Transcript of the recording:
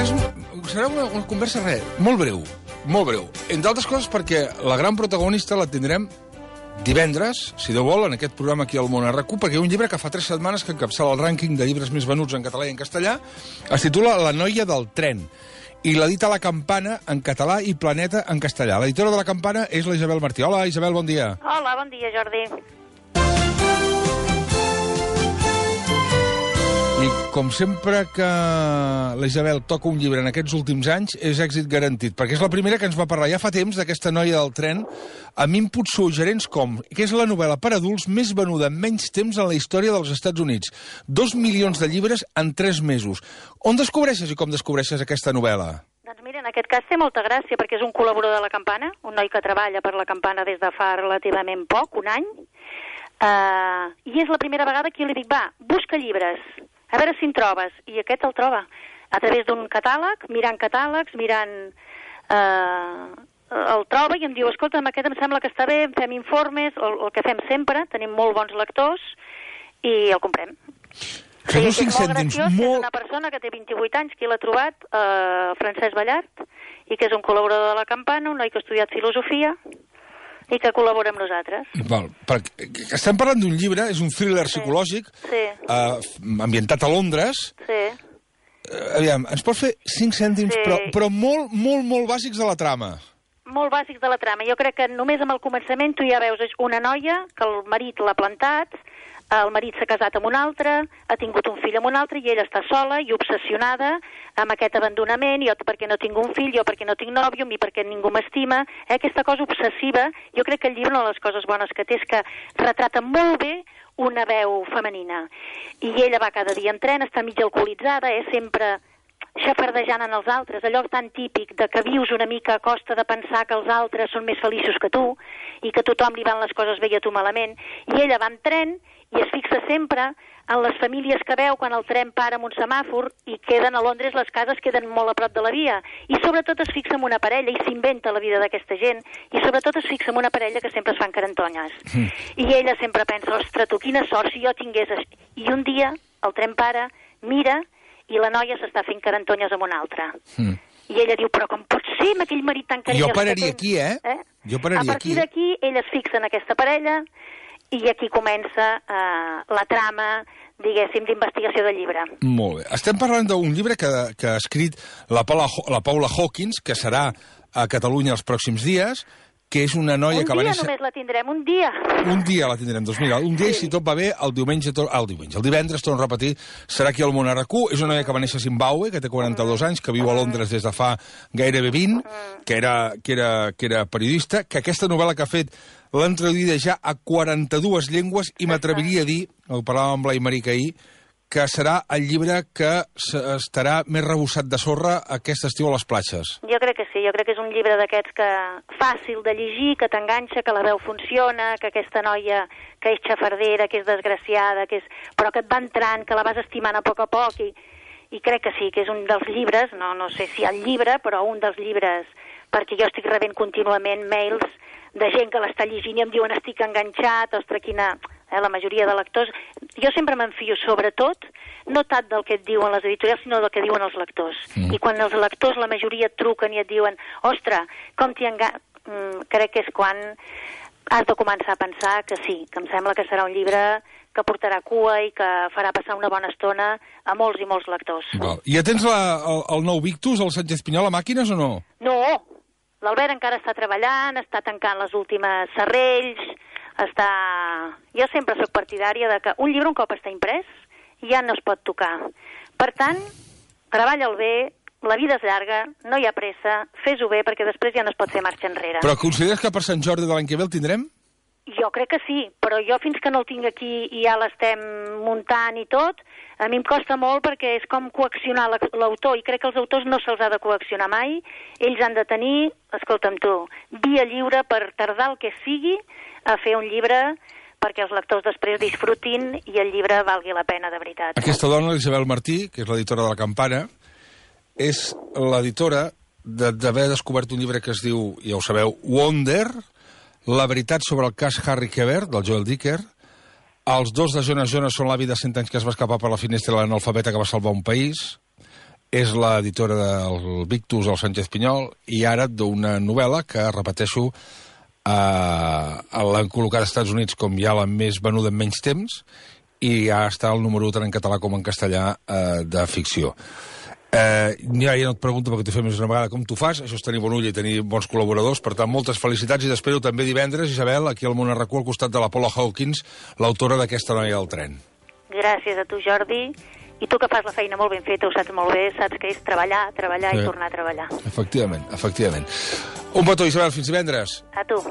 serà una conversa molt breu, molt breu. Entre altres coses perquè la gran protagonista la tindrem divendres, si Déu vol, en aquest programa aquí al Món RQ, perquè hi ha un llibre que fa 3 setmanes que encapçala el rànquing de llibres més venuts en català i en castellà, es titula La noia del tren, i l'edita La Campana en català i Planeta en castellà. L'editora de La Campana és la Isabel Martí. Hola, Isabel, bon dia. Hola, bon dia, Jordi. I com sempre que la Isabel toca un llibre en aquests últims anys, és èxit garantit, perquè és la primera que ens va parlar ja fa temps d'aquesta noia del tren, amb inputs suggerents com que és la novel·la per adults més venuda en menys temps en la història dels Estats Units. 2 milions de llibres en 3 mesos. On descobreixes i com descobreixes aquesta novel·la? Doncs mira, en aquest cas té molta gràcia, perquè és un col·laborador de La Campana, un noi que treballa per La Campana des de fa relativament poc, un any, i és la primera vegada que jo li dic, va, busca llibres, a veure si en trobes, i aquest el troba a través d'un catàleg, mirant catàlegs, el troba i em diu, escolta, aquest em sembla que està bé, fem informes, el que fem sempre, tenim molt bons lectors, i el comprem. Fem uns 5 cèntims. És una persona que té 28 anys, que l'ha trobat, Francesc Ballart, i que és un col·laborador de La Campana, un noi que ha estudiat filosofia, i que col·labora amb nosaltres. Estem parlant d'un llibre, és un thriller psicològic, ambientat a Londres. Sí. Aviam, ens pots fer 5 cèntims, però molt, molt, molt bàsics de la trama. Molt bàsics de la trama. Jo crec que només amb el començament tu ja veus una noia que el marit l'ha plantat, el marit s'ha casat amb un altre, ha tingut un fill amb un altre, i ella està sola i obsessionada amb aquest abandonament, jo perquè no tinc un fill, jo perquè no tinc nòvio, mi perquè ningú m'estima, aquesta cosa obsessiva. Jo crec que el llibre, una de les coses bones que té és que retrata molt bé una veu femenina. I ella va cada dia en tren, està mig alcoholitzada, sempre xafardejant en els altres, allò tan típic de que vius una mica a costa de pensar que els altres són més feliços que tu i que a tothom li van les coses bé i a tu malament. I ella va en tren i es fixa sempre en les famílies que veu quan el tren para en un semàfor i queden a Londres, les cases queden molt a prop de la via. I sobretot es fixa en una parella i s'inventa la vida d'aquesta gent. I sobretot es fixa en una parella que sempre es fan carantonyes. I ella sempre pensa, ostres, tu, quina sort si jo tingués... I un dia el tren para, mira, i la noia s'està fent carantonyes amb una altra. I ella diu, però com pot ser amb aquell marit tan carinyós? Jo pararia aquí, Jo pararia aquí. A partir d'aquí, ella es fixa en aquesta parella i aquí comença la trama, diguéssim, d'investigació del llibre. Molt bé. Estem parlant d'un llibre que ha escrit la Paula Hawkins, que serà a Catalunya els pròxims dies, que és una noia que va néixer... Un dia només la tindrem, un dia. Un dia la tindrem, doncs mira, un dia, i si tot va bé, el divendres, torno a repetir, serà aquí al Món RQ. És una noia que va néixer a Zimbabue, que té 42 anys, que viu a Londres des de fa gairebé 20, que era periodista, que aquesta novel·la que ha fet l'han traduïda ja a 42 llengües, i m'atreviria a dir, ho parlàvem amb Blai Maric ahir, que serà el llibre que estarà més rebussat de sorra aquest estiu a les platges. Jo crec que sí, jo crec que és un llibre d'aquests que fàcil de llegir, que t'enganxa, que la veu funciona, que aquesta noia que és xafardera, que és desgraciada, però que et va entrant, que la vas estimant a poc, i crec que sí, que és un dels llibres, no sé si el llibre, però un dels llibres, perquè jo estic rebent contínuament mails de gent que l'està llegint i em diuen estic enganxat, ostres, quina... La majoria de lectors... Jo sempre m'enfio, sobretot, no tant del que et diuen les editorials, sinó del que diuen els lectors. I quan els lectors, la majoria, et truquen i et diuen ostres, com t'hi crec que és quan has de començar a pensar que sí, que em sembla que serà un llibre que portarà cua i que farà passar una bona estona a molts i molts lectors. I ja tens el nou Victus, el Sánchez Pinyol, a màquines o no? No, l'Albert encara està treballant, està tancant les últimes serrells, Jo sempre sóc partidària de que un llibre un cop està imprès ja no es pot tocar. Per tant, treballa'l bé, la vida és llarga, no hi ha pressa, fes-ho bé perquè després ja no es pot fer marxa enrere. Però consideres que per Sant Jordi de l'any que ve el tindrem? Jo crec que sí, però jo fins que no el tinc aquí i ja l'estem muntant i tot, a mi em costa molt perquè és com coaccionar l'autor, i crec que els autors no se'ls ha de coaccionar mai. Ells han de tenir, escolta'm tu, via lliure per tardar el que sigui a fer un llibre perquè els lectors després disfrutin i el llibre valgui la pena de veritat. Aquesta dona, Isabel Martí, que és l'editora de La Campana, és l'editora d'haver descobert un llibre que es diu, ja ho sabeu, Wonder, la veritat sobre el cas Harry Quebert, del Joel Dicker. Els dos de Jonas Jonas són l'avi de 100 anys que es va escapar per la finestra de l'analfabeta que va salvar un país. és l'editora del Victus, el Sánchez Pinyol, i ara d'una novel·la que, repeteixo, l'han col·locat als Estats Units com ja la més venuda en menys temps, i ja està el número 1 tant en català com en castellà de ficció. Ja no et pregunto perquè t'ho fem més una vegada com t'ho fas, això és tenir bon ull i tenir bons col·laboradors, per tant, moltes felicitats i t'espero també divendres, Isabel, aquí al Món RQ, al costat de la Paula Hawkins, l'autora d'Aquesta noia del tren. Gràcies a tu, Jordi. I tu que fas la feina molt ben feta, ho saps molt bé, saps que és treballar i tornar a treballar. Efectivament. Un petó, Isabel, fins divendres. A tu.